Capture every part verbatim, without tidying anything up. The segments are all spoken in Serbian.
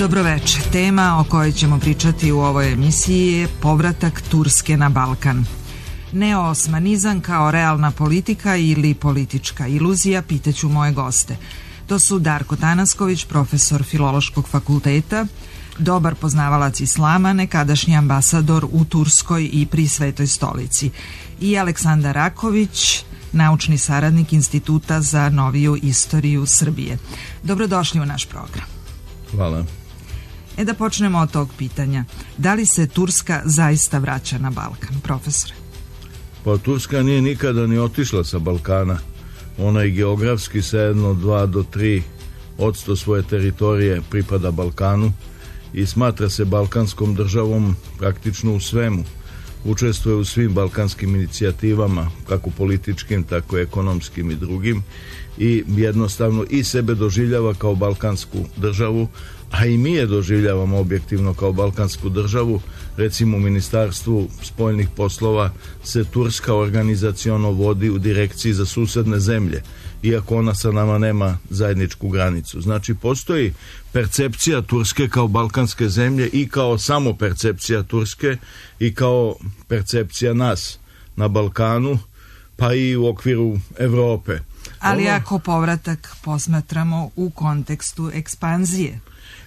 Dobroveče. Tema o kojoj ćemo pričati u ovoj emisiji je povratak Turske na Balkan. Neoosmanizam kao realna politika ili politička iluzija, pitaću moje goste. To su Darko Tanasković, profesor Filološkog fakulteta, dobar poznavalac islama, nekadašnji ambasador u Turskoj i pri Svetoj stolici, i Aleksandar Raković, naučni saradnik Instituta za noviju istoriju Srbije. Dobrodošli u naš program. Hvala. E da počnemo od tog pitanja. Da li se Turska zaista vraća na Balkan, profesore? Pa Turska nije nikada ni otišla sa Balkana. Ona i geografski sa jedno, dva do tri odsto svoje teritorije pripada Balkanu i smatra se balkanskom državom praktično u svemu. Učestvuje u svim balkanskim inicijativama, kako političkim, tako ekonomskim i drugim, i jednostavno i sebe doživljava kao balkansku državu, a i mi je doživljavamo objektivno kao balkansku državu. Recimo u Ministarstvu spoljnih poslova se Turska organizaciono vodi u direkciji za susedne zemlje, iako ona sa nama nema zajedničku granicu. Znači postoji percepcija Turske kao balkanske zemlje i kao samo percepcija Turske i kao percepcija nas na Balkanu, pa i u okviru Evrope. Ali ono... ako povratak posmatramo u kontekstu ekspanzije?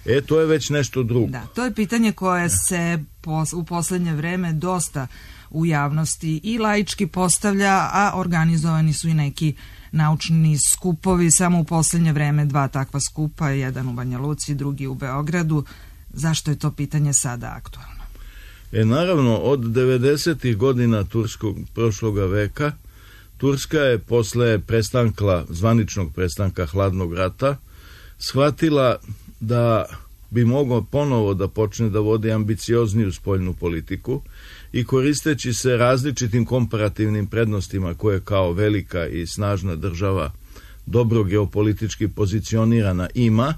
E, to je već nešto drugo. Da, to je pitanje koje se pos, u poslednje vreme dosta u javnosti i laički postavlja, a organizovani su i neki naučni skupovi, samo u poslednje vreme dva takva skupa, jedan u Banja Luci, drugi u Beogradu. Zašto je to pitanje sada aktualno? E, naravno, od devedesetih godina turskog prošloga veka, Turska je posle prestanka, zvaničnog prestanka hladnog rata, shvatila da bi mogao ponovo da počne da vodi ambiciozniju spoljnu politiku i koristeći se različitim komparativnim prednostima koje kao velika i snažna država dobro geopolitički pozicionirana ima,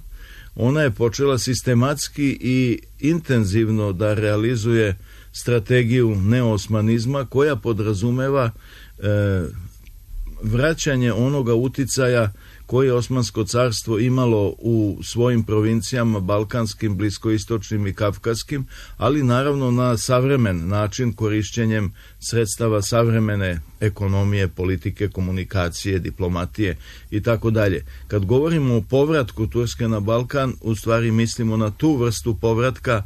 ona je počela sistematski i intenzivno da realizuje strategiju neoosmanizma koja podrazumeva e, vraćanje onoga uticaja koje je Osmansko carstvo imalo u svojim provincijama balkanskim, bliskoistočnim i kavkaskim, ali naravno na savremen način, korišćenjem sredstava savremene ekonomije, politike, komunikacije, diplomatije i tako dalje. Kad govorimo o povratku Turske na Balkan, u stvari mislimo na tu vrstu povratka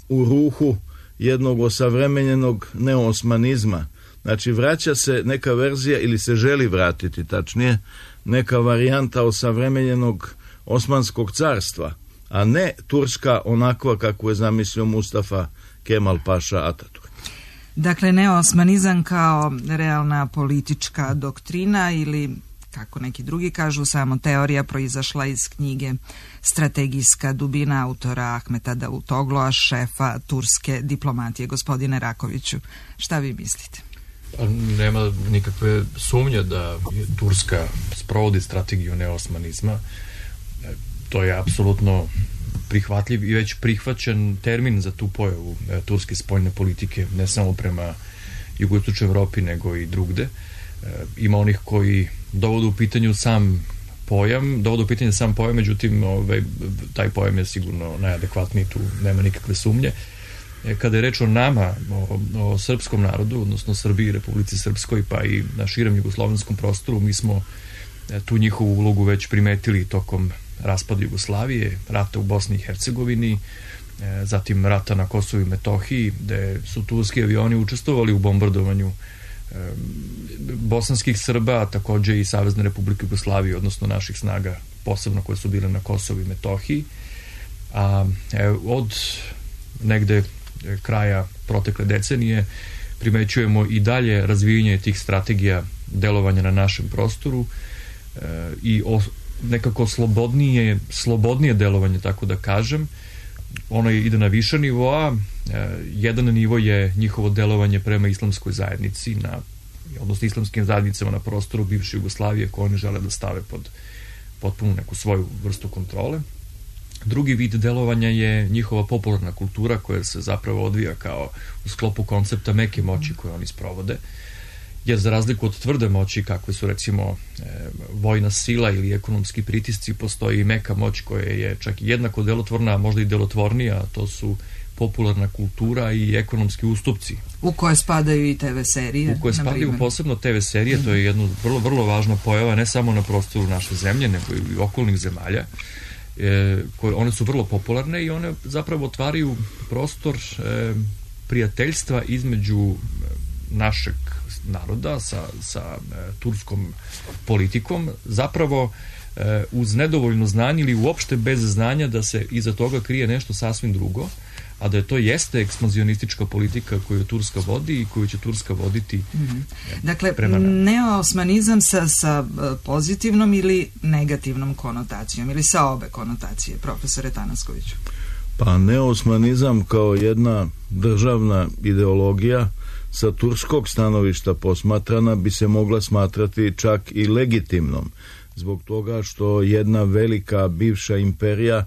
u ruhu jednog osavremenjenog neoosmanizma. Znači vraća se neka verzija, ili se želi vratiti tačnije, neka varijanta osavremenjenog Osmanskog carstva, a ne Turska onakva kako je zamislio Mustafa Kemal Paša Ataturk. Dakle, neoosmanizam kao realna politička doktrina ili, kako neki drugi kažu, samo teorija proizašla iz knjige Strategijska dubina autora Ahmeta Davutogloa, šefa turske diplomatije. Gospodine Rakoviću, šta vi mislite? Nema nikakve sumnje da Turska sprovodi strategiju neosmanizma. To je apsolutno prihvatljiv i već prihvaćen termin za tu pojavu turske spoljne politike, ne samo prema jugoistočnoj Evropi, nego i drugde. Ima onih koji dovode u pitanju sam pojam, dovode u pitanje sam pojam, međutim ovaj, taj pojam je sigurno najadekvatniji, tu nema nikakve sumnje. Kada je reč o nama, o, o srpskom narodu, odnosno Srbiji, Republici Srpskoj, pa i na širem jugoslovenskom prostoru, mi smo tu njihovu ulogu već primetili tokom raspada Jugoslavije, rata u Bosni i Hercegovini, zatim rata na Kosovu i Metohiji, gde su turski avioni učestvovali u bombardovanju bosanskih Srba, a takođe i Savezne Republike Jugoslavije, odnosno naših snaga, posebno koje su bile na Kosovu i Metohiji. A od negde kraja protekle decenije primećujemo i dalje razvijanje tih strategija delovanja na našem prostoru e, i o, nekako slobodnije, slobodnije delovanje, tako da kažem. Ono ide na više nivoa. E, jedan nivo je njihovo delovanje prema islamskoj zajednici, na, odnosno islamskim zajednicama na prostoru bivše Jugoslavije koje oni žele da stave pod potpuno neku svoju vrstu kontrole. Drugi vid delovanja je njihova popularna kultura koja se zapravo odvija kao u sklopu koncepta meke moći koje oni sprovode jer za razliku od tvrde moći kakve su recimo e, vojna sila ili ekonomski pritisci, postoji i meka moć koja je čak jednako delotvorna, a možda i delotvornija, a to su popularna kultura i ekonomski ustupci. U koje spadaju i te ve serije. U koje spadaju posebno te ve serije, mm. to je jedna vrlo, vrlo važna pojava, ne samo na prostoru naše zemlje, nego i okolnih zemalja. E, koje, one su vrlo popularne i one zapravo otvaraju prostor e, prijateljstva između našeg naroda sa, sa e, turskom politikom, zapravo e, uz nedovoljno znanje ili uopšte bez znanja da se iza toga krije nešto sasvim drugo, a da je to jeste ekspanzionistička politika koju Turska vodi i koju će Turska voditi mm-hmm. Dakle, neoosmanizam sa, sa pozitivnom ili negativnom konotacijom ili sa obe konotacije, profesore Tanaskoviću? Pa neoosmanizam kao jedna državna ideologija sa turskog stanovišta posmatrana bi se mogla smatrati čak i legitimnom, zbog toga što jedna velika bivša imperija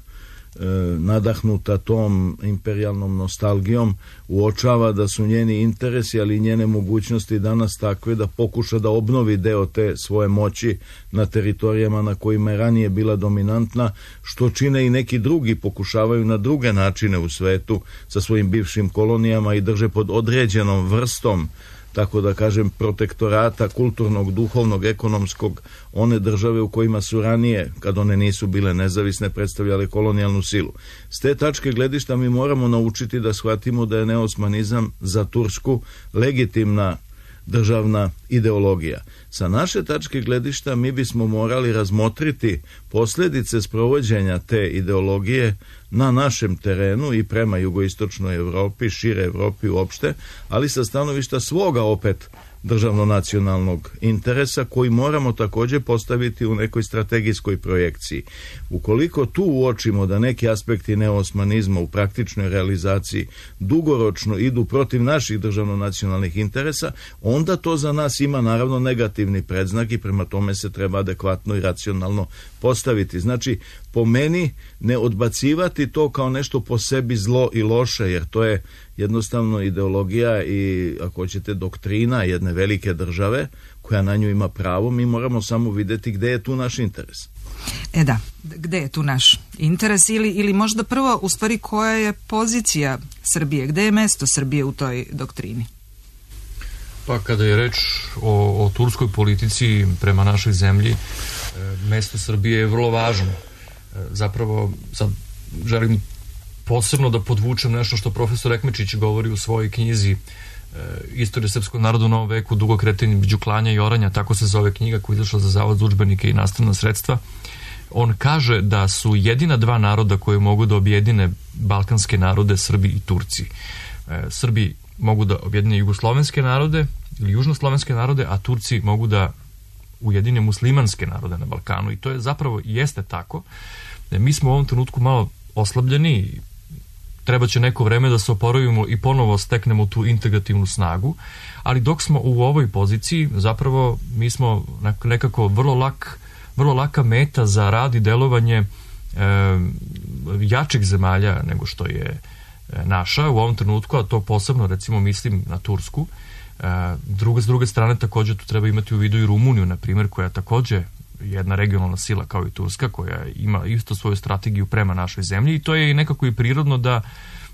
nadahnuta tom imperijalnom nostalgijom uočava da su njeni interesi, ali i njene mogućnosti danas takve da pokuša da obnovi deo te svoje moći na teritorijama na kojima je ranije bila dominantna, što čine i neki drugi, pokušavaju na druge načine u svetu sa svojim bivšim kolonijama i drže pod određenom vrstom, tako da kažem, protektorata kulturnog, duhovnog, ekonomskog, one države u kojima su ranije, kad one nisu bile nezavisne, predstavljale kolonijalnu silu. S te tačke gledišta mi moramo naučiti da shvatimo da je neosmanizam za Tursku legitimna državna ideologija. Sa naše tačke gledišta mi bismo morali razmotriti posljedice sprovođenja te ideologije na našem terenu i prema jugoistočnoj Evropi, šire Evropi uopšte, ali sa stanovišta svoga opet državno-nacionalnog interesa koji moramo također postaviti u nekoj strategijskoj projekciji. Ukoliko tu uočimo da neki aspekti neosmanizma u praktičnoj realizaciji dugoročno idu protiv naših državno-nacionalnih interesa, onda to za nas ima naravno negativni predznak i prema tome se treba adekvatno i racionalno postaviti. Znači, po meni ne odbacivati to kao nešto po sebi zlo i loše, jer to je jednostavno ideologija i, ako hoćete, doktrina jedne velike države koja na nju ima pravo. Mi moramo samo vidjeti gde je tu naš interes. E da, gde je tu naš interes ili, ili možda prvo, u stvari, koja je pozicija Srbije, gde je mesto Srbije u toj doktrini? Pa kada je reč o, o turskoj politici prema našoj zemlji, e, mesto Srbije je vrlo važno. E, zapravo, sad želim posebno da podvučem nešto što profesor Ekmečić govori u svojoj knjizi e, Istorija srpskog naroda u novom veku, dugo kretanje između klanja i oranja, tako se zove knjiga koja je izašla za Zavod za udžbenike i nastavna sredstva. On kaže da su jedina dva naroda koji mogu da objedine balkanske narode Srbi i Turci. E, Srbi mogu da objedine jugoslovenske narode ili južnoslovenske narode, a Turci mogu da ujedine muslimanske narode na Balkanu, i to je zapravo jeste tako. E, mi smo u ovom trenutku malo oslabljeni, treba će neko vreme da se oporavimo i ponovo steknemo tu integrativnu snagu, ali dok smo u ovoj poziciji, zapravo mi smo nekako vrlo lak, vrlo laka meta za rad i delovanje e, jačih zemalja nego što je naša u ovom trenutku, a to posebno recimo mislim na Tursku. E, druga, s druge strane također tu treba imati u vidu i Rumuniju, na primjer, koja je također jedna regionalna sila kao i Turska, koja ima isto svoju strategiju prema našoj zemlji, i to je nekako i prirodno da,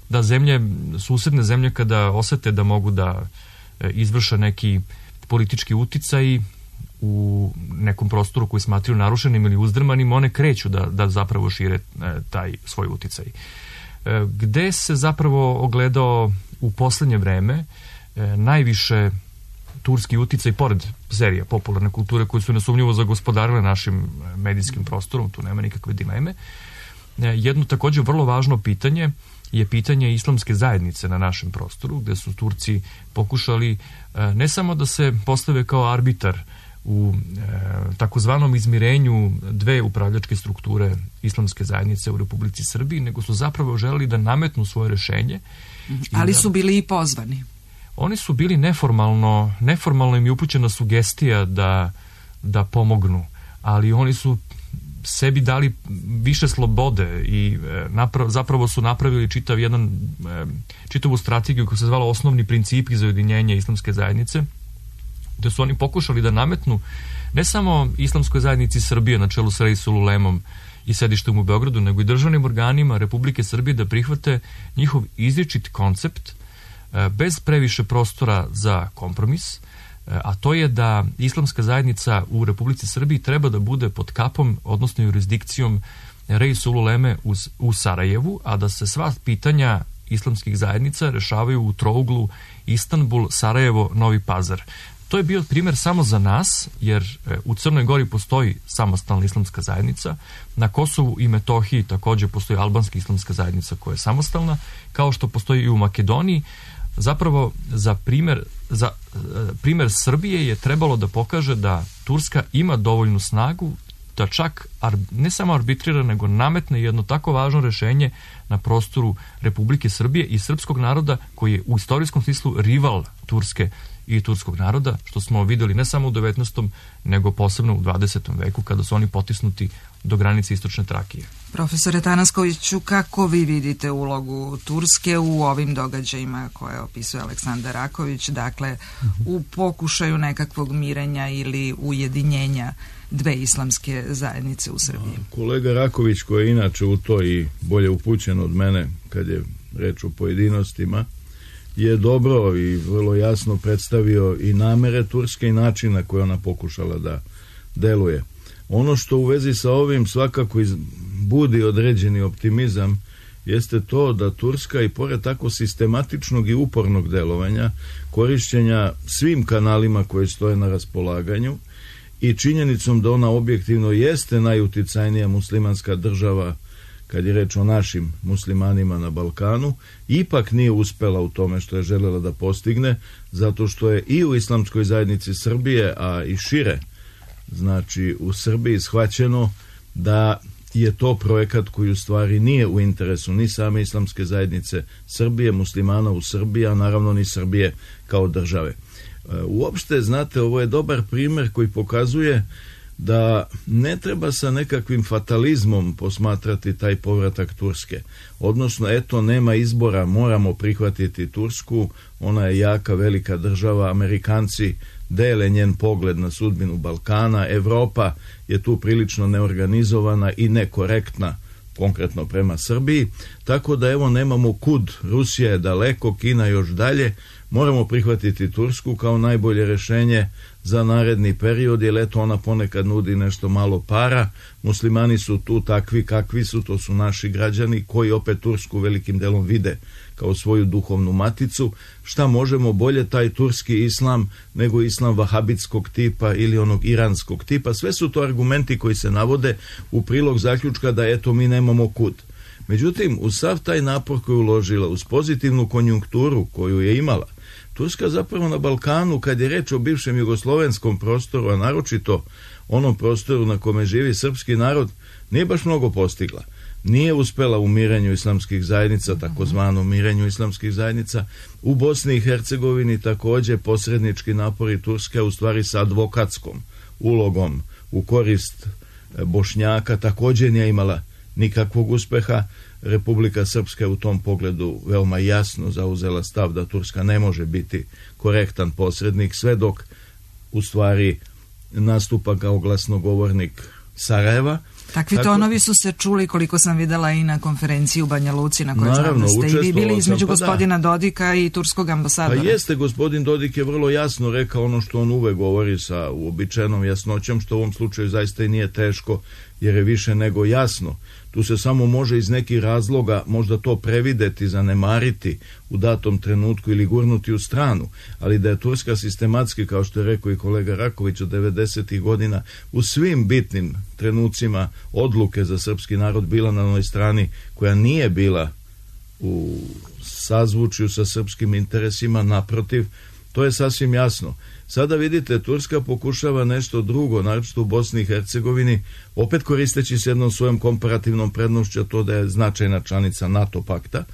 da zemlje, susedne zemlje, kada osete da mogu da izvrše neki politički uticaj u nekom prostoru koji smatraju narušenim ili uzdrmanim, one kreću da, da zapravo šire taj svoj uticaj. Gde se zapravo ogledao u poslednje vreme najviše turski uticaj, pored serija popularne kulture koje su nesumnjivo zagospodarile našim medijskim prostorom, tu nema nikakve dileme. Jedno također vrlo važno pitanje je pitanje islamske zajednice na našem prostoru, gde su Turci pokušali ne samo da se postave kao arbitar u e, takozvanom izmirenju dve upravljačke strukture islamske zajednice u Republici Srbiji, nego su zapravo želeli da nametnu svoje rešenje. Ali da, su bili i pozvani. Oni su bili neformalno, neformalno im je upućena sugestija da, da pomognu, ali oni su sebi dali više slobode i e, naprav, zapravo su napravili čitav jedan, e, čitavu strategiju koja se zvala Osnovni principi za ujedinjenje islamske zajednice, gde su oni pokušali da nametnu ne samo islamskoj zajednici Srbije na čelu sa Reisul Ulemom i sedištem u Beogradu, nego i državnim organima Republike Srbije da prihvate njihov izričit koncept bez previše prostora za kompromis, a to je da islamska zajednica u Republici Srbiji treba da bude pod kapom, odnosno jurisdikcijom Reisul Uleme u Sarajevu, a da se sva pitanja islamskih zajednica rešavaju u trouglu Istanbul, Sarajevo, Novi Pazar. To je bio primer samo za nas, jer u Crnoj Gori postoji samostalna islamska zajednica, na Kosovu i Metohiji takođe postoji albanska islamska zajednica koja je samostalna, kao što postoji i u Makedoniji. Zapravo, za primer, za primer Srbije je trebalo da pokaže da Turska ima dovoljnu snagu da čak ne samo arbitrira, nego nametne jedno tako važno rešenje na prostoru Republike Srbije i srpskog naroda, koji je u istorijskom smislu rival Turske i turskog naroda, što smo videli ne samo u devetnaestom nego posebno u dvadesetom veku, kada su oni potisnuti do granice istočne Trakije. Profesore Tanaskoviću, kako vi vidite ulogu Turske u ovim događajima koje opisuje Aleksandar Raković, dakle u pokušaju nekakvog mirenja ili ujedinjenja dve islamske zajednice u Srbiji? Kolega Raković, koji je inače u to i bolje upućen od mene kad je reč o pojedinostima, je dobro i vrlo jasno predstavio i namere Turske i način na koji ona pokušala da deluje. Ono što u vezi sa ovim svakako budi određeni optimizam jeste to da Turska i pored tako sistematičnog i upornog delovanja, korišćenja svim kanalima koji stoje na raspolaganju i činjenicom da ona objektivno jeste najuticajnija muslimanska država kad je reč o našim muslimanima na Balkanu, ipak nije uspela u tome što je želela da postigne, zato što je i u islamskoj zajednici Srbije, a i šire, znači u Srbiji, shvaćeno da je to projekat koji u stvari nije u interesu ni same islamske zajednice Srbije, muslimana u Srbiji, a naravno ni Srbije kao države. Uopšte, znate, ovo je dobar primer koji pokazuje da ne treba sa nekakvim fatalizmom posmatrati taj povratak Turske. Odnosno, eto, nema izbora, moramo prihvatiti Tursku, ona je jaka, velika država, Amerikanci dele njen pogled na sudbinu Balkana, Evropa je tu prilično neorganizovana i nekorektna, konkretno prema Srbiji, tako da evo nemamo kud, Rusija je daleko, Kina još dalje, moramo prihvatiti Tursku kao najbolje rešenje za naredni period, jer eto ona ponekad nudi nešto malo para, muslimani su tu takvi kakvi su, to su naši građani koji opet Tursku velikim delom vide kao svoju duhovnu maticu, šta možemo bolje taj turski islam nego islam vahabitskog tipa ili onog iranskog tipa, sve su to argumenti koji se navode u prilog zaključka da eto mi nemamo kud. Međutim, uz sav taj napor koji je uložila, uz pozitivnu konjunkturu koju je imala, Turska zapravo na Balkanu, kad je reč o bivšem jugoslovenskom prostoru, a naročito onom prostoru na kome živi srpski narod, nije baš mnogo postigla. Nije uspela u mirenju islamskih zajednica, takozvanom mirenju islamskih zajednica. U Bosni i Hercegovini takođe posrednički napori Turske, u stvari sa advokatskom ulogom u korist Bošnjaka, takođe nije imala nikakvog uspeha. Republika Srpska je u tom pogledu veoma jasno zauzela stav da Turska ne može biti korektan posrednik, sve dok u stvari nastupa kao glasnogovornik Sarajeva. Takvi Tako, tonovi su se čuli, koliko sam videla, i na konferenciji u Banja Luci, na kojoj znam da ste i vi bili između pa gospodina da. Dodika i turskog ambasadora. Pa jeste, gospodin Dodik je vrlo jasno rekao ono što on uvek govori sa uobičajenom jasnoćom, što u ovom slučaju zaista i nije teško, jer je više nego jasno. Tu se samo može iz nekih razloga možda to prevideti, zanemariti u datom trenutku ili gurnuti u stranu, ali da je Turska sistematski, kao što je rekao i kolega Raković, od devedesetih godina u svim bitnim trenucima odluke za srpski narod bila na onoj strani koja nije bila u sazvučju sa srpskim interesima, naprotiv, to je sasvim jasno. Sada vidite, Turska pokušava nešto drugo, naročito u Bosni i Hercegovini, opet koristeći se jednom svojom komparativnom prednošću, to da je značajna članica NATO pakta,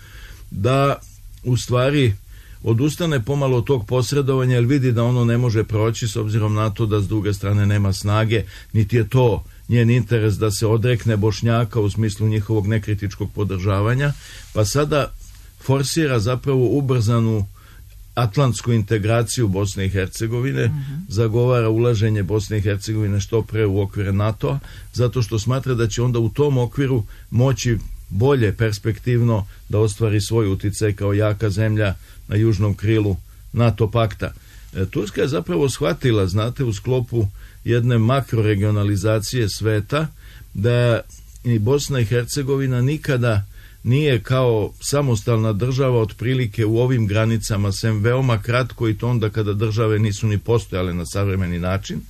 da u stvari odustane pomalo od tog posredovanja, jer vidi da ono ne može proći s obzirom na to da s druge strane nema snage, niti je to njen interes da se odrekne Bošnjaka u smislu njihovog nekritičkog podržavanja, pa sada forsira zapravo ubrzanu atlantsku integraciju Bosne i Hercegovine, uh-huh. zagovara ulaženje Bosne i Hercegovine što pre u okvire NATO-a, zato što smatra da će onda u tom okviru moći bolje perspektivno da ostvari svoj uticaj kao jaka zemlja na južnom krilu NATO pakta. E, Turska je zapravo shvatila, znate, u sklopu jedne makroregionalizacije sveta, da i Bosna i Hercegovina nikada nije kao samostalna država otprilike u ovim granicama, sem veoma kratko, i to onda kada države nisu ni postojale na savremeni način,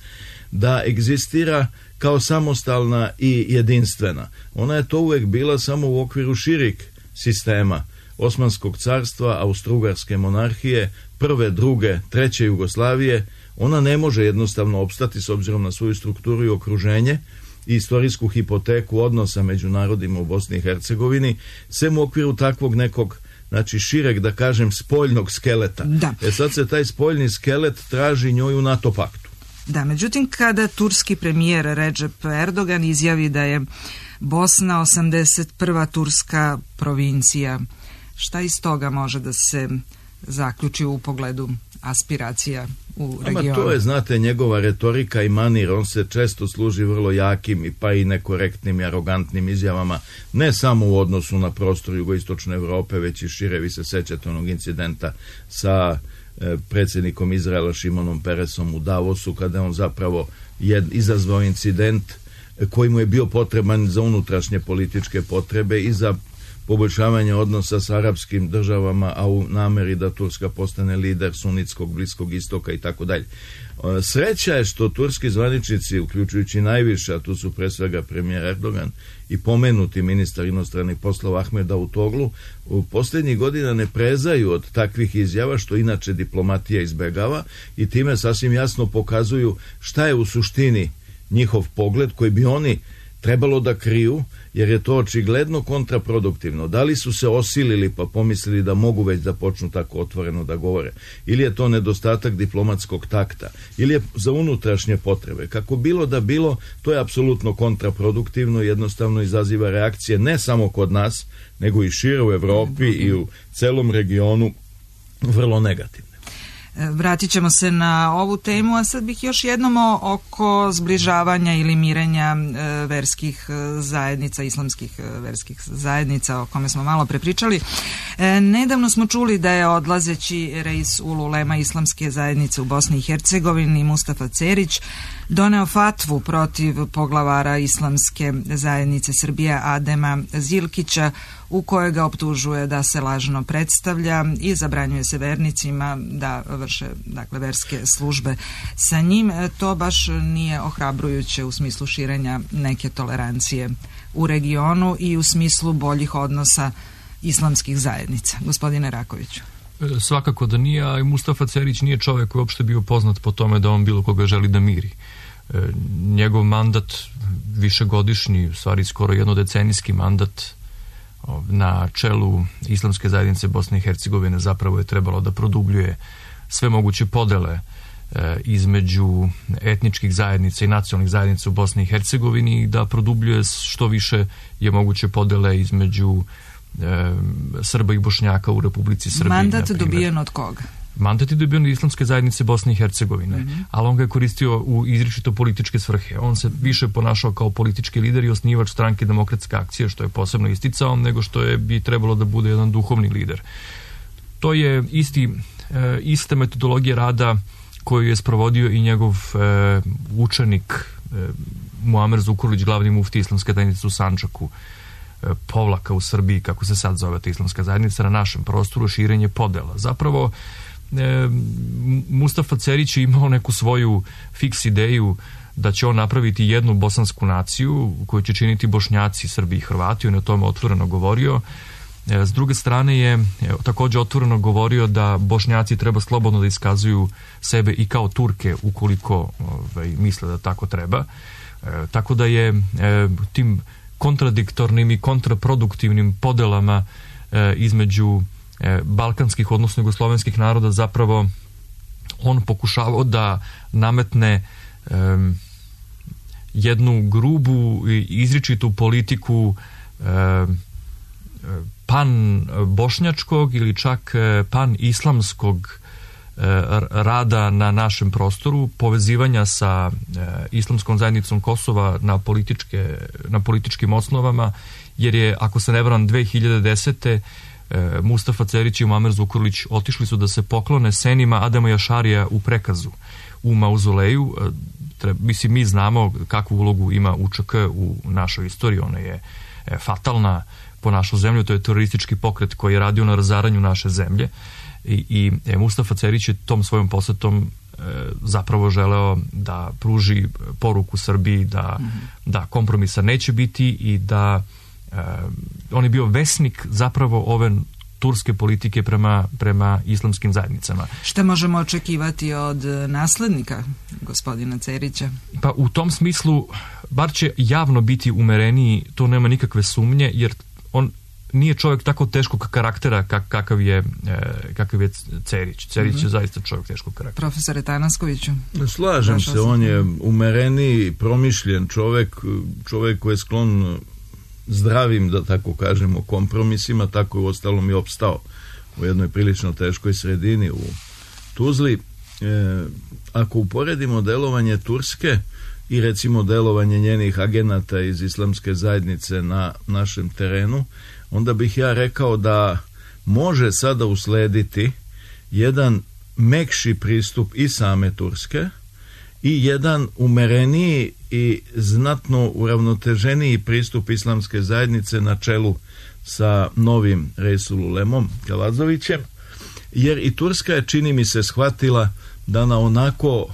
da egzistira kao samostalna i jedinstvena. Ona je to uvek bila samo u okviru širih sistema Osmanskog carstva, Austro-Ugarske monarhije, prve, druge, treće Jugoslavije. Ona ne može jednostavno opstati s obzirom na svoju strukturu i okruženje i istorijsku hipoteku odnosa među narodima u Bosni i Hercegovini, sem u okviru takvog nekog, znači šireg, da kažem, spoljnog skeleta. Da. E sad se taj spoljni skelet traži njoj u NATO paktu. Da, međutim, kada turski premijer Recep Erdogan izjavi da je Bosna osamdeset prva turska provincija, šta iz toga može da se zaključi u pogledu aspiracija u regionu? Ama to je, znate, njegova retorika i manir. On se često služi vrlo jakim i pa i nekorektnim i arogantnim izjavama, ne samo u odnosu na prostor jugoistočne Evrope, već i šire. Vi se sećate onog incidenta sa e, predsjednikom Izraela Šimonom Peresom u Davosu, kada je on zapravo jed, izazvao incident koji mu je bio potreban za unutrašnje političke potrebe i za poboljšavanje odnosa s arapskim državama, a u nameri da Turska postane lider sunitskog Bliskog istoka i tako dalje. Sreća je što turski zvaničnici, uključujući najviše, a tu su pre svega premijer Erdogan i pomenuti ministar inostranih poslova Ahmed Davutoglu, u posljednjih godina ne prezaju od takvih izjava, što inače diplomatija izbegava, i time sasvim jasno pokazuju šta je u suštini njihov pogled, koji bi oni trebalo da kriju, jer je to očigledno kontraproduktivno. Da li su se osilili pa pomislili da mogu već da počnu tako otvoreno da govore, ili je to nedostatak diplomatskog takta, ili je za unutrašnje potrebe. Kako bilo da bilo, to je apsolutno kontraproduktivno, jednostavno izaziva reakcije ne samo kod nas, nego i šire u Evropi i u celom regionu vrlo negativne. Vratit ćemo se na ovu temu, a sad bih još jednom oko zbližavanja ili mirenja verskih zajednica, islamskih verskih zajednica, o kome smo malo prepričali. Nedavno smo čuli da je odlazeći reis ululema islamske zajednice u Bosni i Hercegovini, Mustafa Cerić, doneo fatvu protiv poglavara islamske zajednice Srbije Adema Zilkića, u kojoj ga optužuje da se lažno predstavlja i zabranjuje se vernicima da vrše, dakle, verske službe sa njim. To baš nije ohrabrujuće u smislu širenja neke tolerancije u regionu i u smislu boljih odnosa islamskih zajednica. Gospodine Rakoviću. Svakako da nije, a i Mustafa Cerić nije čovjek koji je uopšte bio poznat po tome da on bilo koga želi da miri. Njegov mandat, višegodišnji, u stvari skoro jednodecenijski mandat na čelu islamske zajednice Bosne i Hercegovine, zapravo je trebalo da produbljuje sve moguće podele e, između etničkih zajednica i nacionalnih zajednica u Bosni i Hercegovini i da produbljuje što više je moguće podele između e, Srba i Bošnjaka u Republici Srbiji. Mandat dobijen od koga? Mandat je dobijen od islamske zajednice Bosne i Hercegovine, mm-hmm. ali on ga je koristio u izričito političke svrhe. On se više ponašao kao politički lider i osnivač stranke Demokratske akcije, što je posebno isticao, nego što je bi trebalo da bude jedan duhovni lider. To je isti, e, ista metodologija rada koju je sprovodio i njegov e, učenik e, Muamer Zukorlić, glavni mufti islamske zajednice u Sandžaku, e, povlaka u Srbiji, kako se sad zove ta islamska zajednica, na našem prostoru, širenje podela. Zapravo, E, Mustafa Cerić je imao neku svoju fiks ideju da će on napraviti jednu bosansku naciju koju će činiti Bošnjaci, Srbi i Hrvati. On je o tome otvoreno govorio. E, s druge strane je e, također otvoreno govorio da Bošnjaci treba slobodno da iskazuju sebe i kao Turke ukoliko ovaj, misle da tako treba. E, tako da je e, tim kontradiktornim i kontraproduktivnim podelama e, između balkanskih, odnosno jugoslovenskih naroda, zapravo on pokušavao da nametne um, jednu grubu i izričitu politiku um, pan bošnjačkog ili čak pan islamskog rada na našem prostoru, povezivanja sa islamskom zajednicom Kosova na, političke, na političkim osnovama, jer je, ako se ne varam, dve hiljade desete. Mustafa Cerić i Muamer Zukorlić otišli su da se poklone senima Adema Jašarija u Prekazu, u mauzoleju. Mislim, mi znamo kakvu ulogu ima U Č K u našoj istoriji, ona je fatalna po našu zemlju, to je teroristički pokret koji je radio na razaranju naše zemlje i, i e, Mustafa Cerić je tom svojom posetom e, zapravo želeo da pruži poruku Srbiji da, mm-hmm. da kompromisa neće biti i da e, on je bio vesnik zapravo ove turske politike prema, prema islamskim zajednicama. Šta možemo očekivati od naslednika gospodina Cerića? Pa u tom smislu, bar će javno biti umereniji, to nema nikakve sumnje, jer on nije čovjek tako teškog karaktera kak, kakav, je, kakav je Cerić. Cerić mm-hmm. je zaista čovjek teškog karaktera. Profesore Tanaskoviću? Slažem Vaša se, on je umereniji, promišljen čovjek, čovjek koji je sklon zdravim, da tako kažemo, kompromisima, tako je uostalom i opstao u jednoj prilično teškoj sredini u Tuzli. E, ako uporedimo delovanje Turske i recimo delovanje njenih agenata iz islamske zajednice na našem terenu, onda bih ja rekao da može sada uslediti jedan mekši pristup i same Turske i jedan umereniji i znatno uravnoteženiji pristup islamske zajednice na čelu sa novim Resululemom Kalazovićem, jer i Turska je, čini mi se, shvatila da na onako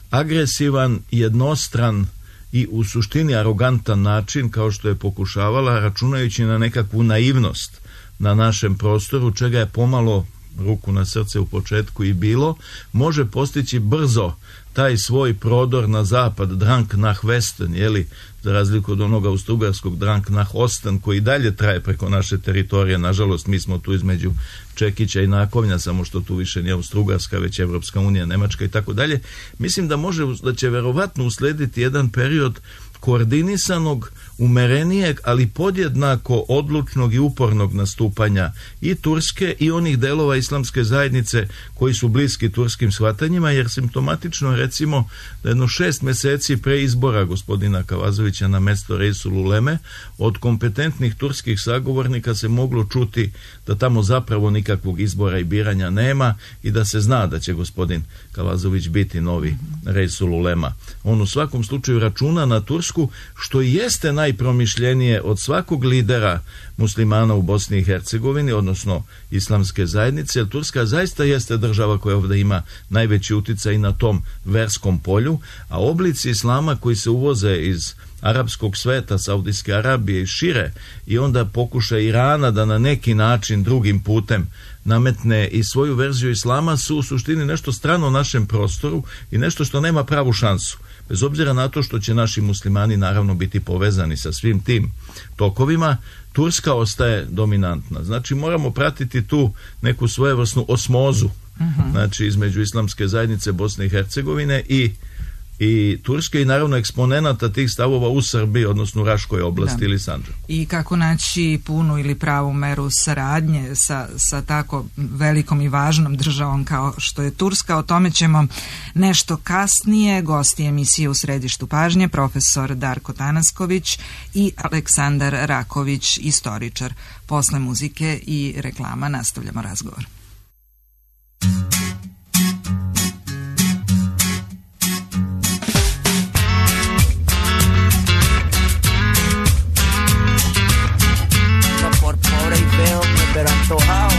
agresivan, jednostran i u suštini arogantan način, kao što je pokušavala, računajući na nekakvu naivnost na našem prostoru, čega je pomalo, ruku na srce, u početku i bilo, može postići brzo taj svoj prodor na zapad, Drang nach Westen, jeli, za razliku od onoga austrougarskog Drang nach Osten, koji dalje traje preko naše teritorije. Nažalost, mi smo tu između Čekića i Nakovnja, samo što tu više nije Austrougarska, već Evropska unija, Nemačka i tako dalje. Mislim da može, da će verovatno uslediti jedan period koordinisanog, umerenijeg, ali podjednako odlučnog i upornog nastupanja i Turske i onih delova islamske zajednice koji su bliski turskim shvatanjima, jer simptomatično, recimo, da jedno šest meseci pre izbora gospodina Kavazovića na mesto Resululeme, od kompetentnih turskih sagovornika se moglo čuti da tamo zapravo nikakvog izbora i biranja nema i da se zna da će gospodin Kavazović biti novi Resululema. On u svakom slučaju računa na Tursku, što i jeste najpromišljenije od svakog lidera muslimana u Bosni i Hercegovini, odnosno islamske zajednice, jer Turska zaista jeste država koja ovdje ima najveći uticaj na tom verskom polju, a oblici islama koji se uvoze iz arapskog sveta, Saudijske Arabije i šire, i onda pokuša Irana da na neki način drugim putem nametne i svoju verziju islama, su u suštini nešto strano našem prostoru i nešto što nema pravu šansu. Bez obzira na to što će naši muslimani naravno biti povezani sa svim tim tokovima, Turska ostaje dominantna. Znači moramo pratiti tu neku svojevrsnu osmozu, uh-huh. znači između islamske zajednice Bosne i Hercegovine i i Turske i naravno eksponenata tih stavova u Srbiji, odnosno u Raškoj oblasti da. ili Sandžaku. I kako naći punu ili pravu meru saradnje sa, sa tako velikom i važnom državom kao što je Turska, o tome ćemo nešto kasnije. Gosti emisije u središtu pažnje, profesor Darko Tanasković i Aleksandar Raković, istoričar. Posle muzike i reklama nastavljamo razgovor. Pero antojado.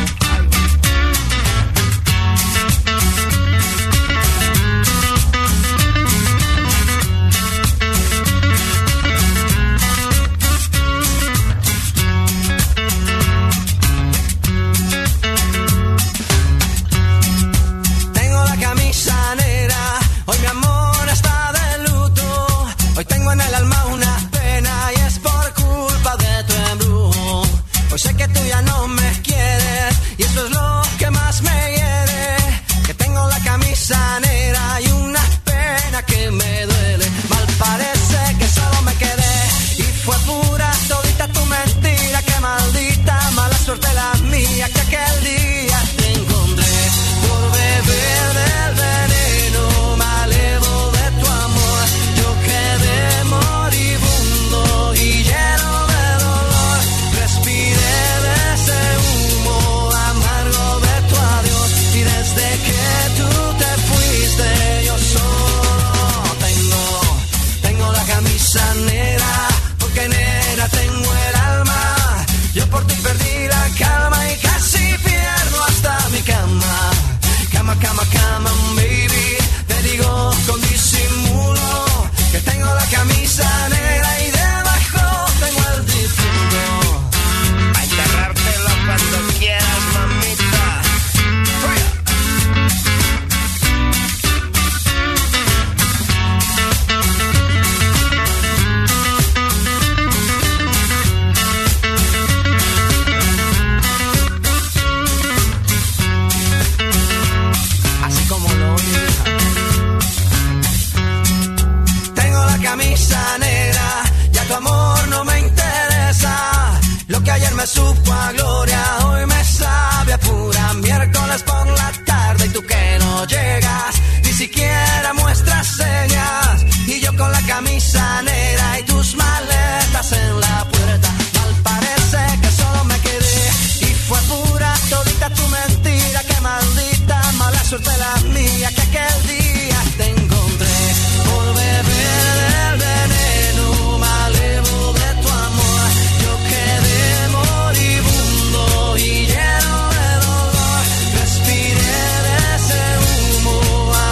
duermes su gloria, hoy me sabe a pura miércoles por la tarde y tú que no llegas, ni siquiera muestras señas, y yo con la camisa negra y tus maletas en la puerta, mal parece que solo me quedé y fue pura todita tu mentira, que maldita mala suerte la mía, que aquel día te encontré por beber del veneno malevo de tu amor, yo quedé moribundo y lleno de dolor, respiré de ese humo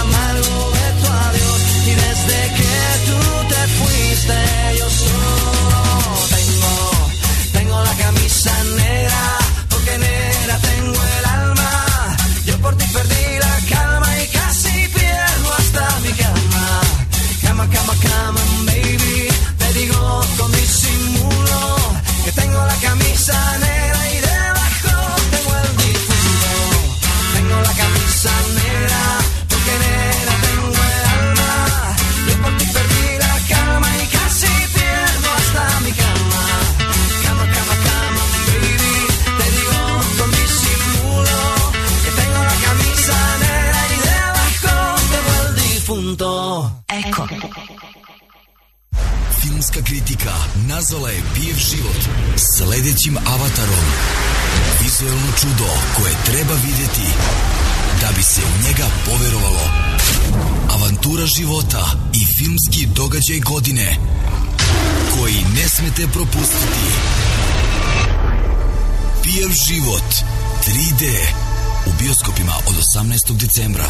amargo de tu adiós, y desde que tú te fuiste yo solo tengo, tengo la camisa negra, porque negra tengo el alma, yo por ti perdí la calma y casi pierdo hasta mi cama, cama, cama, cama, baby, te digo con disimulo que tengo la camisa negra y debajo tengo el difunto, tengo la camisa negra, porque negra tengo el alma, yo por ti perdí la calma y casi pierdo hasta mi cama, cama, cama, cama, baby, te digo con disimulo que tengo la camisa negra y debajo tengo el difunto. Eko. Filmska kritika nazvala je Pijev život sledećim avatarom. Vizuelno čudo koje treba vidjeti da bi se u njega poverovalo. Avantura života i filmski događaj godine koji ne smete propustiti. Pijev život tri D u bioskopima od osamnaestog decembra.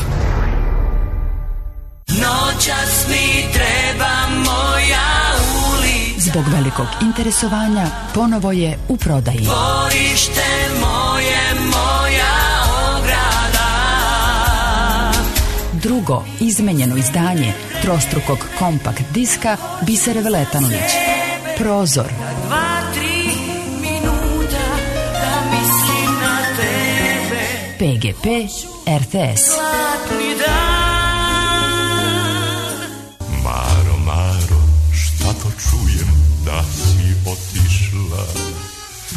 Noćas mi treba moja ulica. Zbog velikog interesovanja ponovo je u prodaji. Dvorište moje, moja ograda. Drugo izmenjeno izdanje trostrukog kompakt diska Bisere Veletanović. Prozor. Dva, tri minuta da mislim na tebe. P G P R T S. Zlatni dan. Maro, Maro, šta to čujem da si otišla?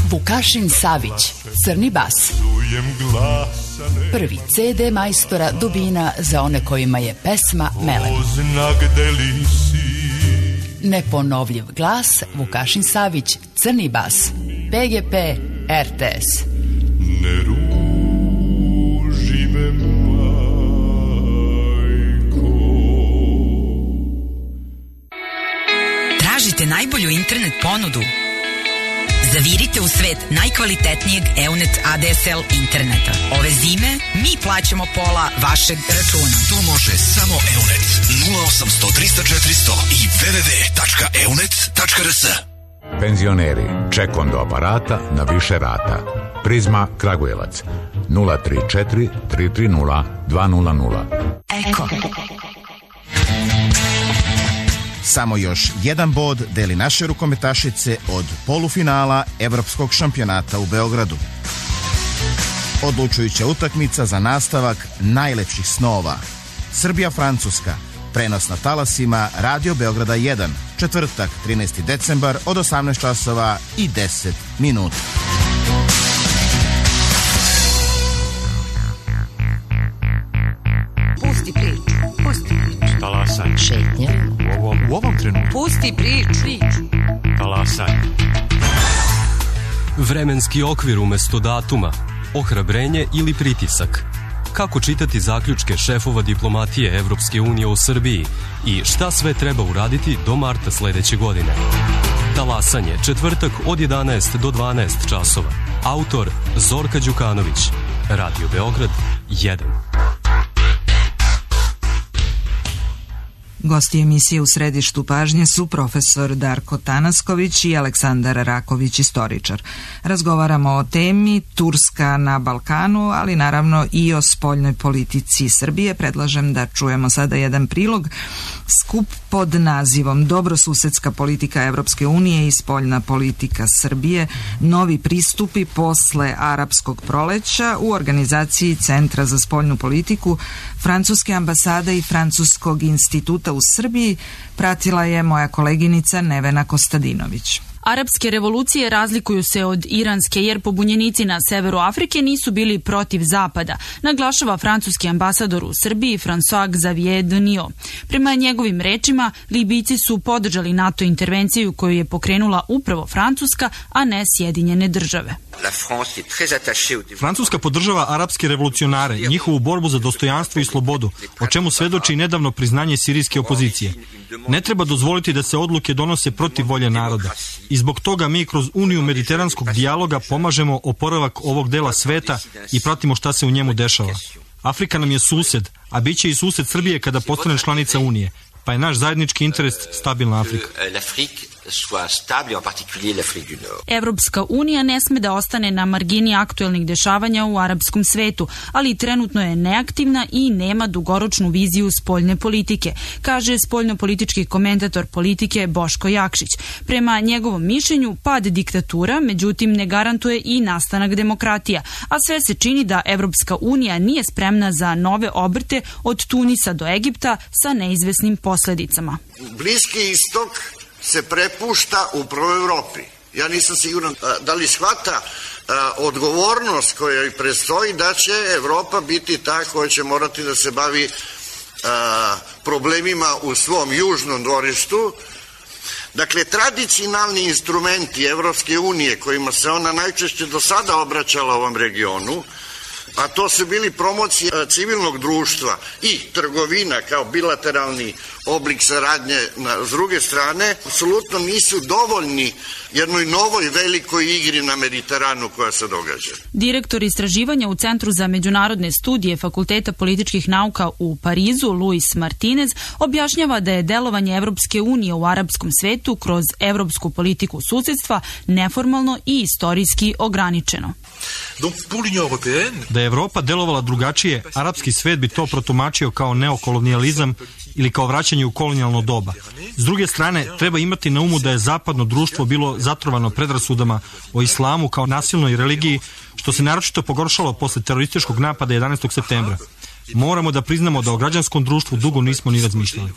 Vukašin Savić, Crni bas. Čujem glasane. Prvi C D majstora Dubina za one kojima je pesma melem. Oznak gde li si? Neponovljiv glas Vukašin Savić, Crni bas. P G P R T S. Ne ruži me majko. Tražite najbolju internet ponudu? Zavirite u svet najkvalitetnijeg Eunet A D S L interneta. Ove zime mi plaćamo pola vašeg računa. To može samo Eunet. nula osamsto trista četiristo i w w w tačka eunet tačka r s. Penzioneri, ček do aparata na više rata. Prizma Kragujevac nula tri četiri tri tri nula dva nula nula. Eko. Samo još jedan bod deli naše rukometašice od polufinala Evropskog šampionata u Beogradu. Odlučujuća utakmica za nastavak najlepših snova. Srbija-Francuska, prenos na talasima Radio Beograda jedan, četvrtak, trinaesti decembar od osamnaest časova i deset minuta. Pusti priču, pusti priču. Talasaj. Šetnje. U ovom, u ovom trenutku. Pusti priču. priču. Talasaj. Vremenski okvir umesto datuma, ohrabrenje ili pritisak. Kako čitati zaključke šefova diplomatije Evropske unije u Srbiji i šta sve treba uraditi do marta sledeće godine. Talasanje, četvrtak od jedanaest do dvanaest časova. Autor Zorka Đukanović. Radio Beograd jedan. Gosti emisije u središtu pažnje su profesor Darko Tanasković i Aleksandar Raković, istoričar. Razgovaramo o temi Turska na Balkanu, ali naravno i o spoljnoj politici Srbije. Predlažem da čujemo sada jedan prilog. Skup pod nazivom Dobrosusedska politika Evropske unije i spoljna politika Srbije, novi pristupi posle arapskog proleća u organizaciji Centra za spoljnu politiku Francuske ambasade i Francuskog instituta u Srbiji pratila je moja koleginica Nevena Kostadinović. Arapske revolucije razlikuju se od iranske jer pobunjenici na severu Afrike nisu bili protiv Zapada, naglašava francuski ambasador u Srbiji François Xavier Denio. Prema njegovim rečima, Libijci su podržali NATO intervenciju koju je pokrenula upravo Francuska, a ne Sjedinjene države. Francuska podržava arapske revolucionare i njihovu borbu za dostojanstvo i slobodu, o čemu svedoči nedavno priznanje sirijske opozicije. Ne treba dozvoliti da se odluke donose protiv volje naroda. I zbog toga mi kroz Uniju mediteranskog dijaloga pomažemo oporavak ovog dela sveta i pratimo šta se u njemu dešava. Afrika nam je sused, a bit će i sused Srbije kada postane članica Unije, pa je naš zajednički interes stabilna Afrika. Evropska unija ne sme da ostane na margini aktuelnih dešavanja u arapskom svetu, ali trenutno je neaktivna i nema dugoročnu viziju spoljne politike, kaže spoljnopolitički komentator politike Boško Jakšić. Prema njegovom mišljenju, pad diktatura, međutim, ne garantuje i nastanak demokratija, a sve se čini da Evropska unija nije spremna za nove obrte od Tunisa do Egipta sa neizvesnim posledicama. Bliski istok se prepušta upravo Evropi. Ja nisam siguran da li shvata odgovornost koja joj predstoji da će Evropa biti ta koja će morati da se bavi problemima u svom južnom dvorištu. Dakle, tradicionalni instrumenti Evropske unije kojima se ona najčešće do sada obraćala ovom regionu, a to su bili promocije civilnog društva i trgovina kao bilateralni oblik saradnje na, s druge strane, apsolutno nisu dovoljni jednoj novoj velikoj igri na Mediteranu koja se događa. Direktor istraživanja u Centru za međunarodne studije Fakulteta političkih nauka u Parizu, Luis Martinez, objašnjava da je delovanje Evropske unije u arapskom svetu kroz evropsku politiku susedstva neformalno i istorijski ograničeno. Da je Evropa delovala drugačije, arapski svet bi to protumačio kao neokolonijalizam ili kao vraćanje u kolonijalno doba. S druge strane, treba imati na umu da je zapadno društvo bilo zatrovano predrasudama o islamu kao nasilnoj religiji, što se naročito pogoršalo posle terorističkog napada jedanaestog septembra. Moramo da priznamo da o građanskom društvu dugo nismo ni razmišljali.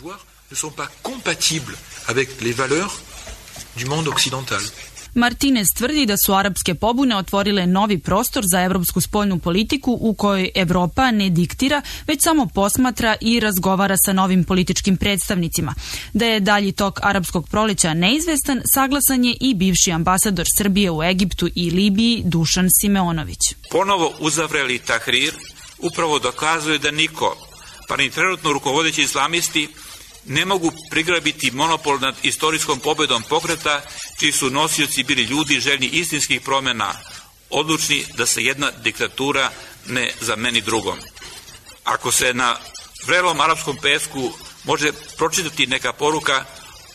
Martinez tvrdi da su arapske pobune otvorile novi prostor za evropsku spoljnu politiku u kojoj Evropa ne diktira, već samo posmatra i razgovara sa novim političkim predstavnicima. Da je dalji tok arapskog proleća neizvestan, saglasan je i bivši ambasador Srbije u Egiptu i Libiji Dušan Simeonović. Ponovo uzavreli Tahrir upravo dokazuje da niko, pa ni trenutno rukovodeći islamisti, ne mogu prigrabiti monopol nad istorijskom pobedom pokreta, čiji su nosioci bili ljudi željni istinskih promjena, odlučni da se jedna diktatura ne zameni drugom. Ako se na vrelom arapskom pesku može pročitati neka poruka,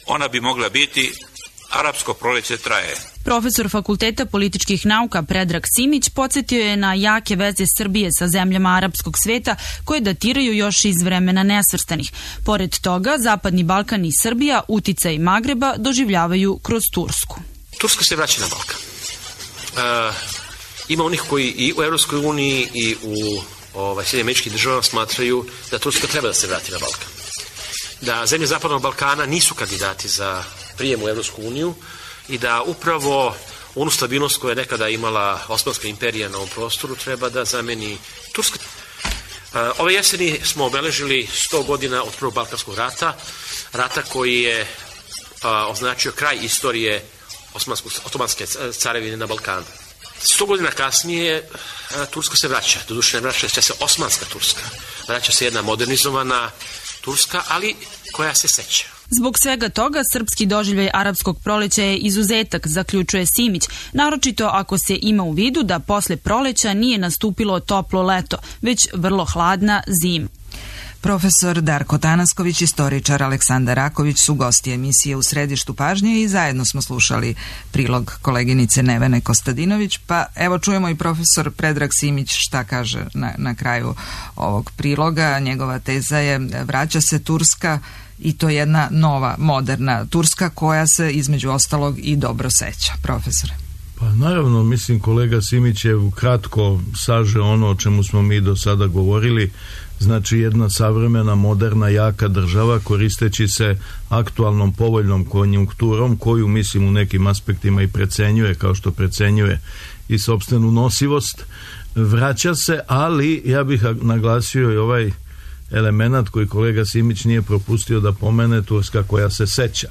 ona bi mogla biti: arapsko proleće traje. Profesor Fakulteta političkih nauka Predrag Simić podsjetio je na jake veze Srbije sa zemljama arapskog sveta koje datiraju još iz vremena nesvrstanih. Pored toga, Zapadni Balkan i Srbija uticaj Magreba doživljavaju kroz Tursku. Turska se vraća na Balkan. E, ima onih koji i u Evropskoj uniji i u ovaj, Sjedinjenim Američkim Državama smatraju da Turska treba da se vrati na Balkan. Da zemlje Zapadnog Balkana nisu kandidati za prijem u Evropsku uniju i da upravo onu stabilnost koju je nekada imala Osmanska imperija na ovom prostoru treba da zameni Turska. Ove jeseni smo obeležili sto godina od Prvog Balkanskog rata, rata koji je a, označio kraj istorije Otomanske carevine na Balkanu. Sto godina kasnije a, Turska se vraća, doduše ne vraća se Osmanska Turska, vraća se jedna modernizovana Turska, ali koja se seća. Zbog svega toga, srpski doživljaj arapskog proleća je izuzetak, zaključuje Simić, naročito ako se ima u vidu da posle proleća nije nastupilo toplo leto, već vrlo hladna zima. Profesor Darko Tanasković, istoričar Aleksandar Raković su gosti emisije U središtu pažnje i zajedno smo slušali prilog koleginice Nevene Kostadinović, pa evo čujemo i profesor Predrag Simić šta kaže na, na kraju ovog priloga. Njegova teza je: vraća se Turska, i to jedna nova, moderna Turska koja se između ostalog i dobro seća. Profesore. Pa naravno, mislim kolega Simić je kratko saže ono o čemu smo mi do sada govorili. znači jedna savremena, moderna, jaka država koristeći se aktualnom povoljnom konjunkturom koju mislim u nekim aspektima i precenjuje, kao što precenjuje i sopstvenu nosivost, vraća se, ali ja bih naglasio i ovaj element koji kolega Simić nije propustio da pomene, Turska koja se seća.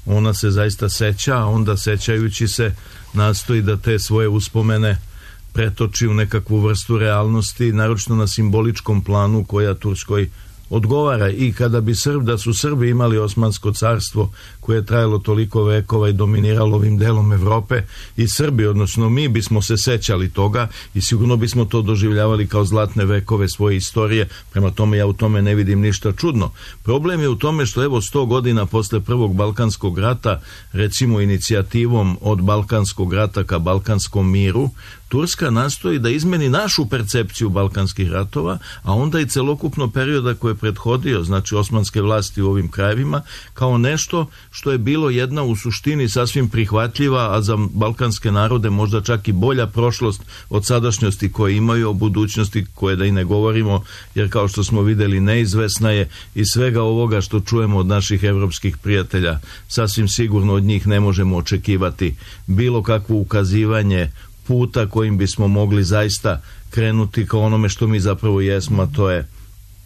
Ona se zaista seća, a onda sećajući se nastoji da te svoje uspomene pretoči u nekakvu vrstu realnosti, naročito na simboličkom planu koja Turskoj odgovara. I kada bi Srb, da su Srbi imali Osmansko carstvo koje je trajalo toliko vekova i dominiralo ovim delom Evrope, i Srbi, odnosno mi, bismo se sećali toga i sigurno bismo to doživljavali kao zlatne vekove svoje istorije. Prema tome ja u tome ne vidim ništa čudno. Problem je u tome što evo sto godina posle prvog Balkanskog rata, recimo inicijativom od Balkanskog rata ka Balkanskom miru, Turska nastoji da izmeni našu percepciju balkanskih ratova, a onda i celokupno perioda koje je prethodio, znači osmanske vlasti u ovim krajevima, kao nešto što je bilo jedna u suštini sasvim prihvatljiva, a za balkanske narode možda čak i bolja prošlost od sadašnjosti koje imaju, o budućnosti koje da i ne govorimo, jer kao što smo videli neizvesna je, i svega ovoga što čujemo od naših evropskih prijatelja, sasvim sigurno od njih ne možemo očekivati bilo kakvo ukazivanje puta kojim bismo mogli zaista krenuti ka onome što mi zapravo jesmo, a to je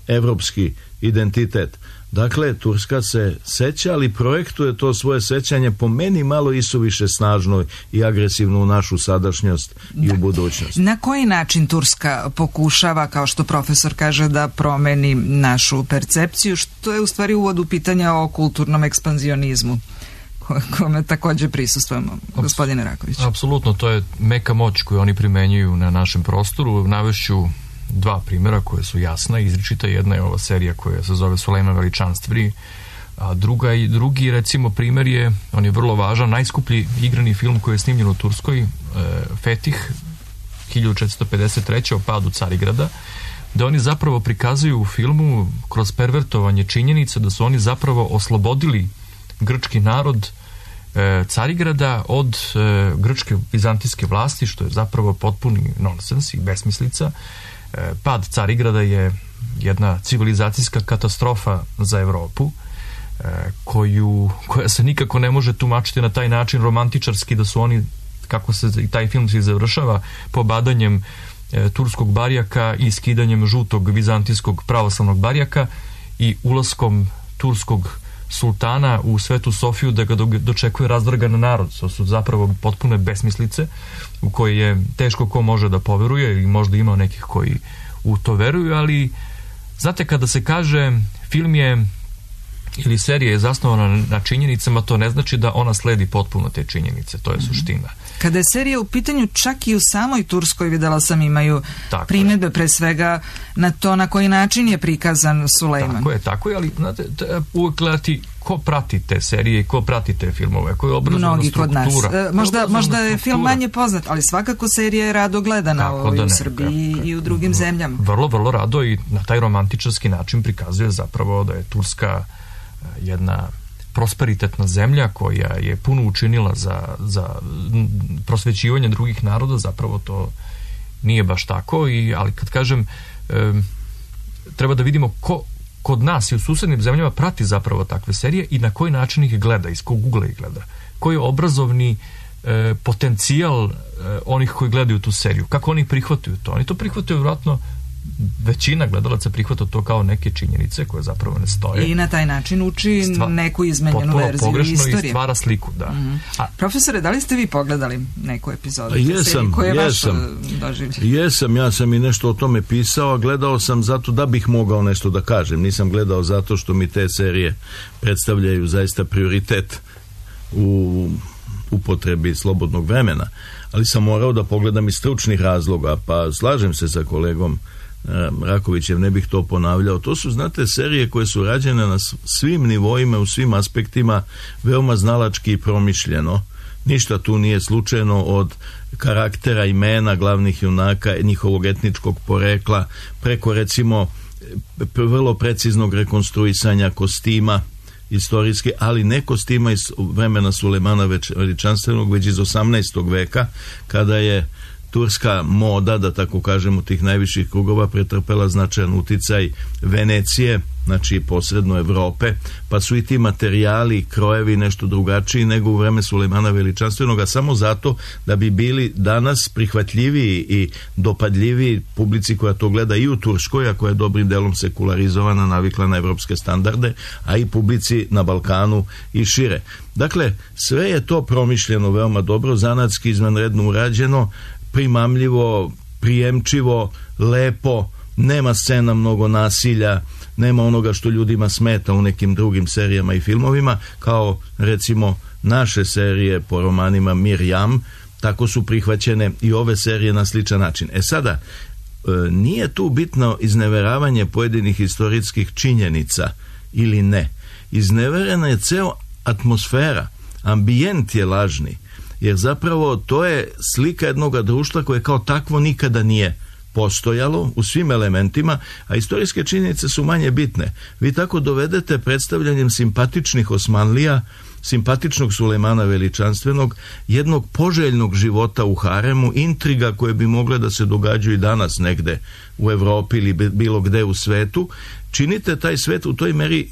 evropski identitet. Dakle, Turska se seća, ali projektuje to svoje sećanje po meni malo isuviše snažno i agresivno u našu sadašnjost i u budućnost. Na koji način Turska pokušava, kao što profesor kaže, da promeni našu percepciju, što je u stvari uvod u pitanja o kulturnom ekspanzionizmu kome takođe prisustvujemo, gospodine Raković? Apsolutno, to je meka moć koju oni primenjuju na našem prostoru. Navešću dva primjera koje su jasna i izričita. Jedna je ova serija koja se zove Sulejman Veličanstveni, a druga i drugi recimo primjer je, on je vrlo važan, najskuplji igrani film koji je snimljen u Turskoj, e, Fetih hiljadu četiristo pedeset treće o padu Carigrada, da oni zapravo prikazuju u filmu kroz pervertovanje činjenica da su oni zapravo oslobodili grčki narod e, Carigrada od e, grčke vizantijske vlasti, što je zapravo potpuni nonsens i besmislica. E, pad Carigrada je jedna civilizacijska katastrofa za Evropu, e, koju, koja se nikako ne može tumačiti na taj način romantičarski, da su oni, kako se i taj film se završava, pobadanjem e, turskog barjaka i skidanjem žutog vizantijskog pravoslavnog barjaka i ulaskom turskog sultana u Svetu Sofiju da ga dočekuje razdragan narod. To su zapravo potpune besmislice u koje je teško ko može da poveruje, ili možda ima nekih koji u to veruju, ali znate, kada se kaže film je ili serija je zasnovana na činjenicama, to ne znači da ona sledi potpuno te činjenice, to je suština. Kada je serija u pitanju, čak i u samoj Turskoj, videla sam, imaju primjedbe pre svega na to na koji način je prikazan Sulejman. Tako je, tako je, ali znate, uvek gledati ko prati te serije i ko prati te filmove, koja je obrazovna struktura. Mnogi kod nas. E, možda, možda je film manje poznat, ali svakako serija je rado gledana u, da u Srbiji ne, i u drugim zemljama. Vrlo, vrlo rado, i na taj romantičarski način prikazuje zapravo da je Turska jedna prosperitetna zemlja koja je puno učinila za, za prosvećivanje drugih naroda. Zapravo to nije baš tako, i, ali kad kažem e, treba da vidimo ko kod nas i u susednim zemljama prati zapravo takve serije i na koji način ih gleda, iz kog ugla ih gleda, koji je obrazovni e, potencijal e, onih koji gledaju tu seriju, kako oni prihvataju to. Oni to prihvataju vjerojatno, većina gledalaca prihvata to kao neke činjenice koje zapravo ne stoje. I na taj način uči Stva, neku izmenjenu verziju istorije. I stvara sliku, da. Mm-hmm. A, profesore, da li ste vi pogledali neku epizodu? Jesam, jesam. Jesam, ja sam i nešto o tome pisao, a gledao sam zato da bih mogao nešto da kažem. Nisam gledao zato što mi te serije predstavljaju zaista prioritet u upotrebi slobodnog vremena. Ali sam morao da pogledam iz stručnih razloga, pa slažem se sa kolegom Rakovićem, ne bih to ponavljao. To su, znate, serije koje su rađene na svim nivoima, u svim aspektima, veoma znalački i promišljeno. Ništa tu nije slučajno, od karaktera, imena glavnih junaka, njihovog etničkog porekla, preko recimo vrlo preciznog rekonstruisanja kostima istorijski, ali ne kostima iz vremena Sulejmana Veličanstvenog, već iz osamnaestog veka, kada je turska moda, da tako kažem, u tih najviših krugova pretrpela značajan uticaj Venecije, znači posredno Evrope, pa su i ti materijali, krojevi nešto drugačiji nego u vreme Sulejmana Veličanstvenoga, samo zato da bi bili danas prihvatljiviji i dopadljiviji publici koja to gleda i u Turskoj, a koja je dobrim delom sekularizovana, navikla na evropske standarde, a i publici na Balkanu i šire. Dakle, sve je to promišljeno veoma dobro, zanatski izvanredno urađeno, primamljivo, prijemčivo, lepo, nema scena mnogo nasilja, nema onoga što ljudima smeta u nekim drugim serijama i filmovima, kao recimo naše serije po romanima Mirjam, tako su prihvaćene i ove serije na sličan način. E sada, nije tu bitno izneveravanje pojedinih istorijskih činjenica ili ne. Izneverena je ceo atmosfera, ambijent je lažni, jer zapravo to je slika jednog društva koje kao takvo nikada nije postojalo u svim elementima, a istorijske činjenice su manje bitne. Vi tako dovedete predstavljanjem simpatičnih Osmanlija, simpatičnog Sulejmana Veličanstvenog, jednog poželjnog života u haremu, intriga koje bi mogle da se događaju i danas negde u Evropi ili bilo gde u svetu, činite taj svet u toj meri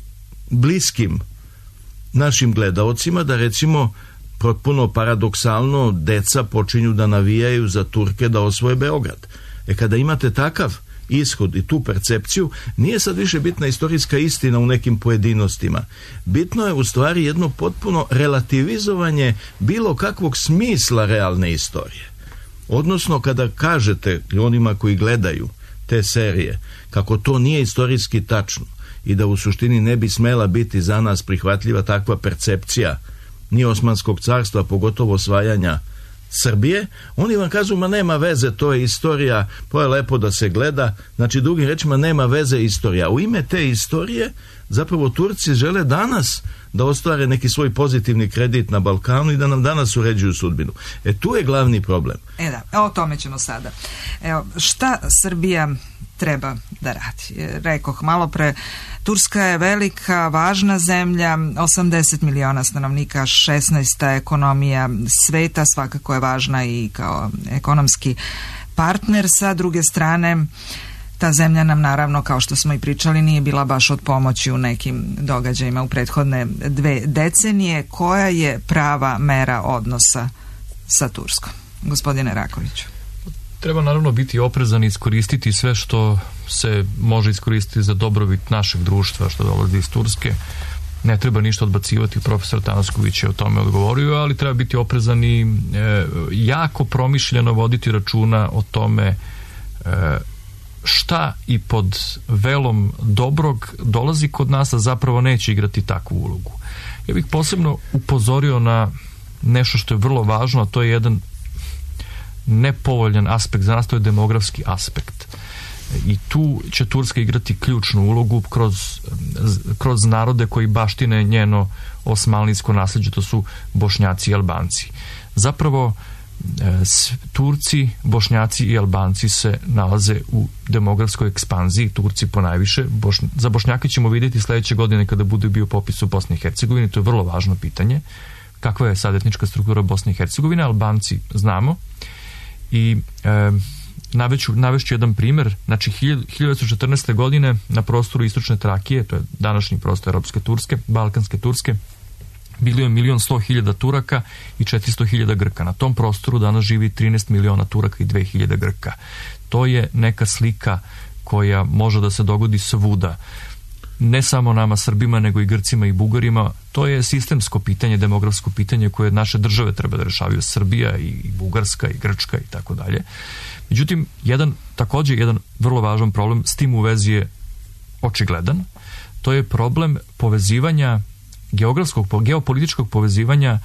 bliskim našim gledaocima, da recimo potpuno paradoksalno deca počinju da navijaju za Turke da osvoje Beograd. E kada imate takav ishod i tu percepciju, nije sad više bitna istorijska istina u nekim pojedinostima. Bitno je u stvari jedno potpuno relativizovanje bilo kakvog smisla realne istorije. Odnosno, kada kažete onima koji gledaju te serije kako to nije istorijski tačno i da u suštini ne bi smela biti za nas prihvatljiva takva percepcija ni Osmanskog carstva, pogotovo osvajanja Srbije, oni vam kažu, ma nema veze, to je istorija, to je lepo da se gleda, znači drugim rečima nema veze istorija. U ime te istorije zapravo Turci žele danas da ostvare neki svoj pozitivni kredit na Balkanu i da nam danas uređuju sudbinu. E tu je glavni problem. E da, o tome ćemo sada. Evo, šta Srbija treba da radi? Rekoh malo pre, Turska je velika, važna zemlja, osamdeset miliona stanovnika, šesnaesta ekonomija sveta, svakako je važna i kao ekonomski partner. Sa druge strane, ta zemlja nam naravno, kao što smo i pričali, nije bila baš od pomoći u nekim događajima u prethodne dve decenije. Koja je prava mera odnosa sa Turskom? Gospodine Rakoviću. Treba naravno biti oprezan i iskoristiti sve što se može iskoristiti za dobrobit našeg društva što dolazi iz Turske. Ne treba ništa odbacivati, profesor Tanasković je o tome odgovorio, ali treba biti oprezan i e, jako promišljeno voditi računa o tome e, šta i pod velom dobrog dolazi kod nas, a zapravo neće igrati takvu ulogu. Ja bih posebno upozorio na nešto što je vrlo važno, a to je jedan nepovoljan aspekt za nas, to je demografski aspekt. I tu će Turska igrati ključnu ulogu kroz, kroz narode koji baštine njeno osmanlijsko nasljeđe, to su Bošnjaci i Albanci. Zapravo Turci, Bošnjaci i Albanci se nalaze u demografskoj ekspanziji, Turci ponajviše. Boš, za Bošnjake ćemo vidjeti sledeće godine kada bude bio popis u Bosni i Hercegovini, to je vrlo važno pitanje. Kakva je sad etnička struktura Bosne i Hercegovine? Albanci znamo. I e, navešću, navešću jedan primjer, znači hiljadu devetsto četrnaeste. godine na prostoru istočne Trakije, to je današnji prostor Europske Turske, Balkanske Turske, bilo je milion sto hiljada Turaka i četiristo hiljada Grka. Na tom prostoru danas živi trinaest miliona Turaka i dve hiljade Grka. To je neka slika koja može da se dogodi svuda. Ne samo nama Srbima, nego i Grcima i Bugarima. To je sistemsko pitanje, demografsko pitanje koje naše države treba da rešavaju, Srbija i Bugarska i Grčka i tako dalje. Međutim, jedan, također jedan vrlo važan problem s tim u vezi je očigledan. To je problem povezivanja, geografskog, geopolitičkog povezivanja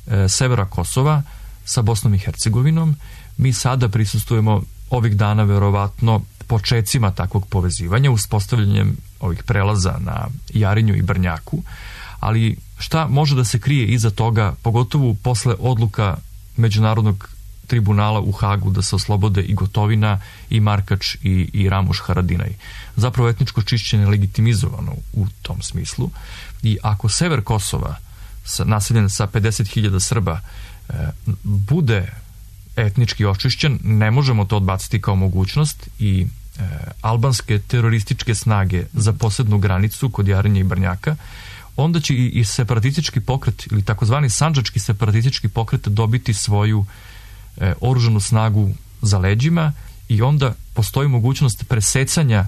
e, severa Kosova sa Bosnom i Hercegovinom. Mi sada prisustujemo ovih dana verovatno počecima takvog povezivanja, uspostavljanjem ovih prelaza na Jarinju i Brnjaku, ali šta može da se krije iza toga, pogotovo posle odluka Međunarodnog tribunala u Hagu da se oslobode i Gotovina i Markač i, i Ramuš Haradinaj. Zapravo etničko čišćenje je legitimizovano u tom smislu i ako sever Kosova, naseljen sa pedeset hiljada Srba, e, bude etnički očišćen, ne možemo to odbaciti kao mogućnost i e, albanske terorističke snage za posebnu granicu kod Jarinja i Brnjaka, onda će i, i separatistički pokret ili takozvani sandžački separatistički pokret dobiti svoju e, oružanu snagu za leđima i onda postoji mogućnost presecanja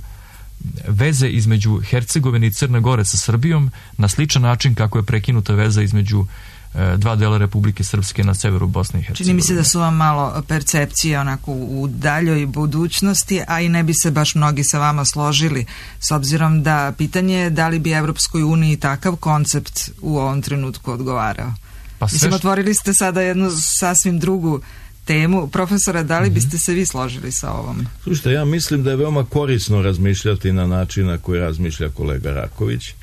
veze između Hercegovine i Crne Gore sa Srbijom na sličan način kako je prekinuta veza između e, dva dela Republike Srpske na severu Bosne i Hercegovine. Čini mi se da su vam malo percepcije onako u daljoj budućnosti, a i ne bi se baš mnogi sa vama složili, s obzirom da pitanje je da li bi Evropskoj uniji takav koncept u ovom trenutku odgovarao. Pa sve Mislim, otvorili ste sada jednu sasvim drugu temu. Profesora, da li biste se vi složili sa ovom? Slušajte, ja mislim da je veoma korisno razmišljati na način na koji razmišlja kolega Raković,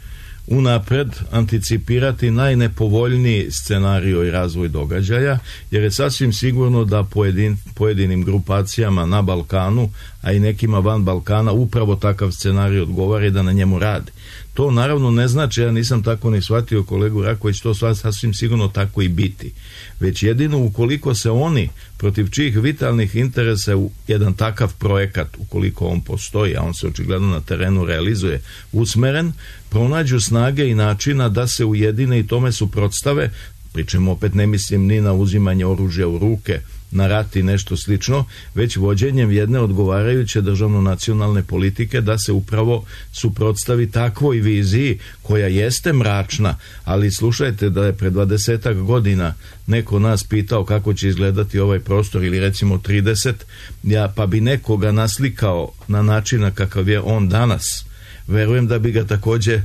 unapred anticipirati najnepovoljniji scenario i razvoj događaja, jer je sasvim sigurno da pojedin, pojedinim grupacijama na Balkanu, a i nekima van Balkana, upravo takav scenarij odgovara i da na njemu radi. To naravno ne znači, ja nisam tako ni shvatio kolegu Raković, to sasvim sigurno tako i biti. Već jedino ukoliko se oni, protiv čijih vitalnih interesa u jedan takav projekat, ukoliko on postoji, a on se očigledno na terenu realizuje, usmeren, pronađu snage i načina da se ujedine i tome suprotstave, pričemu opet ne mislim ni na uzimanje oružja u ruke, na rat i nešto slično, već vođenjem jedne odgovarajuće državno-nacionalne politike da se upravo suprotstavi takvoj viziji koja jeste mračna, ali slušajte da je pred dvadesetak godina neko nas pitao kako će izgledati ovaj prostor ili recimo trideset, ja pa bi nekoga naslikao na način kakav je on danas, verujem da bi ga također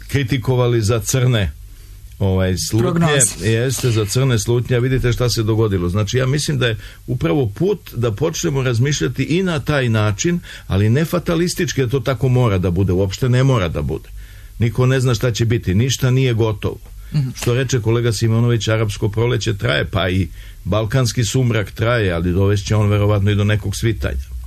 kritikovali za crne ovaj slutnje, jeste za crne slutnje, a vidite šta se dogodilo. Znači ja mislim da je upravo put da počnemo razmišljati i na taj način, ali ne fatalistički, da to tako mora da bude, uopšte ne mora da bude. Niko ne zna šta će biti, ništa nije gotovo. Mm-hmm. Što reče kolega Simonović, arapsko proleće traje, pa i balkanski sumrak traje, ali dovešće on verovatno i do nekog svitanja.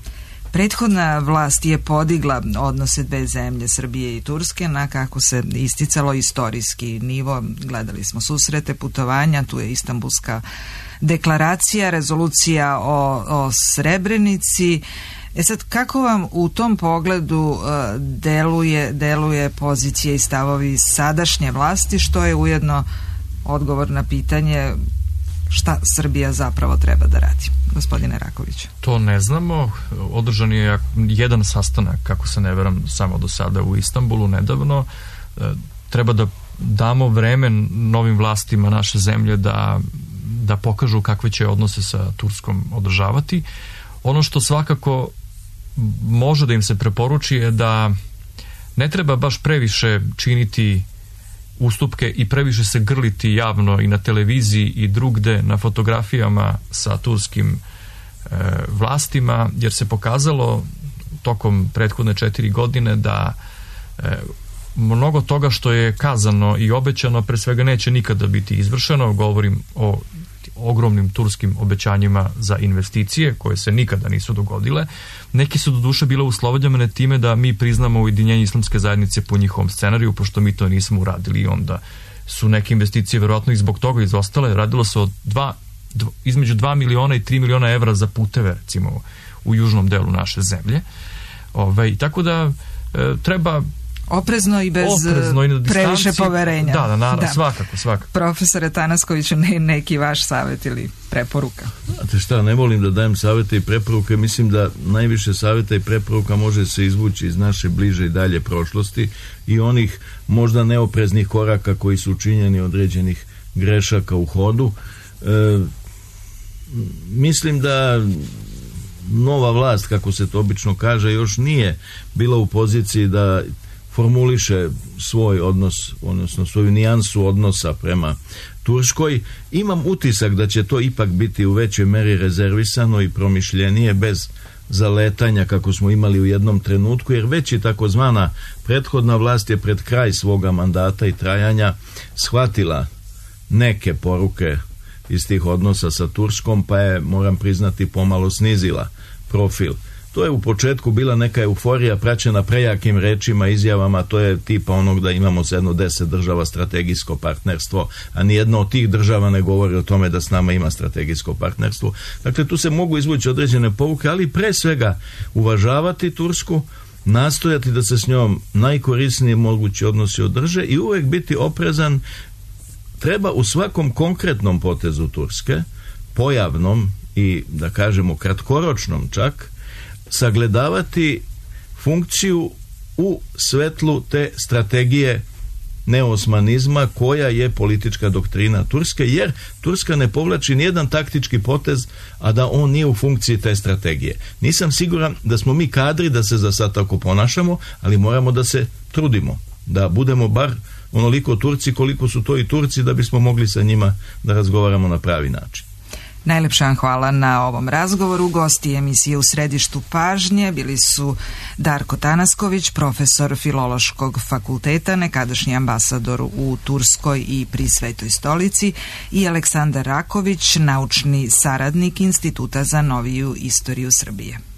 Prethodna vlast je podigla odnose dve zemlje, Srbije i Turske, na kako se isticalo istorijski nivo. Gledali smo susrete, putovanja, tu je Istanbulska deklaracija, rezolucija o, o Srebrenici. E sad, kako vam u tom pogledu uh, deluje, deluje pozicije i stavovi sadašnje vlasti, što je ujedno odgovor na pitanje šta Srbija zapravo treba da radi? Gospodine Raković. To ne znamo. Održan je jedan sastanak, kako se ne veram, samo do sada u Istanbulu nedavno. Treba da damo vreme novim vlastima naše zemlje da, da pokažu kakve će odnose sa Turskom održavati. Ono što svakako može da im se preporuči je da ne treba baš previše činiti ustupke i previše se grliti javno i na televiziji i drugde na fotografijama sa turskim e, vlastima, jer se pokazalo tokom prethodne četiri godine da e, mnogo toga što je kazano i obećano pre svega neće nikada biti izvršeno. Govorim o ogromnim turskim obećanjima za investicije koje se nikada nisu dogodile. Neki su do duše bile uslovljene time da mi priznamo ujedinjenje islamske zajednice po njihovom scenariju, pošto mi to nismo uradili i onda su neke investicije verovatno i zbog toga izostale. Radilo se o dva, dva, između dva miliona i tri miliona evra za puteve, recimo u južnom delu naše zemlje. Ove, tako da e, treba oprezno i bez oprezno i previše poverenja. Da, da, naravno, da. svakako, svakako. Profesore Tanaskoviću, ne, neki vaš savjet ili preporuka? Znate šta, ne volim da dajem savjete i preporuke, mislim da najviše savjeta i preporuka može se izvući iz naše bliže i dalje prošlosti i onih možda neopreznih koraka koji su učinjeni određenih grešaka u hodu. E, mislim da nova vlast, kako se to obično kaže, još nije bila u poziciji da formuliše svoj odnos, odnosno svoju nijansu odnosa prema Turskoj. Imam utisak da će to ipak biti u većoj meri rezervisano i promišljenije, bez zaletanja kako smo imali u jednom trenutku, jer već i takozvana prethodna vlast je pred kraj svoga mandata i trajanja shvatila neke poruke iz tih odnosa sa Turskom, pa je, moram priznati, pomalo snizila profil To je u početku bila neka euforija praćena prejakim rečima, izjavama, to je tipa onog da imamo sa jedno deset država strategijsko partnerstvo, a nijedna od tih država ne govori o tome da s nama ima strategijsko partnerstvo. Dakle, tu se mogu izvući određene pouke, ali pre svega uvažavati Tursku, nastojati da se s njom najkorisniji mogući odnosi održe i uvek biti oprezan. Treba u svakom konkretnom potezu Turske, pojavnom i da kažemo kratkoročnom čak, sagledavati funkciju u svetlu te strategije neosmanizma koja je politička doktrina Turske, jer Turska ne povlači nijedan taktički potez, a da on nije u funkciji te strategije. Nisam siguran da smo mi kadri da se za sad tako ponašamo, ali moramo da se trudimo, da budemo bar onoliko Turci koliko su to i Turci, da bismo mogli sa njima da razgovaramo na pravi način. Najlepša vam hvala na ovom razgovoru. Gosti emisije U središtu pažnje bili su Darko Tanasković, profesor Filološkog fakulteta, nekadašnji ambasador u Turskoj i pri Svetoj stolici, i Aleksandar Raković, naučni saradnik Instituta za noviju istoriju Srbije.